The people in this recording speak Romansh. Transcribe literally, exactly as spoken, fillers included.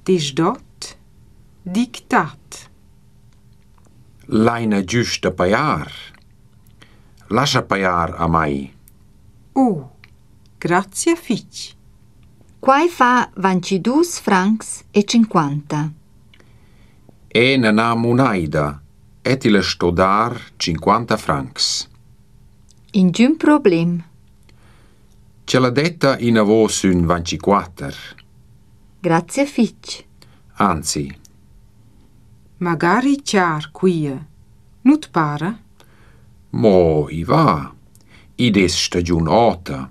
Deschdot, dictat. Laina güsta pajar? Lascha pajar a mai. Oh, grazia fich. Quai fa vanchidus francs e tschinquanta. Eu nun ha munaida e tilla sto dar tschinquanta francs. Ingün problem. Ch'Ella detta inavo sün vanchiquatter. Grazia fich. Anzi, Magari char quia, nu't para? Mo i va. Id es stagiun ota.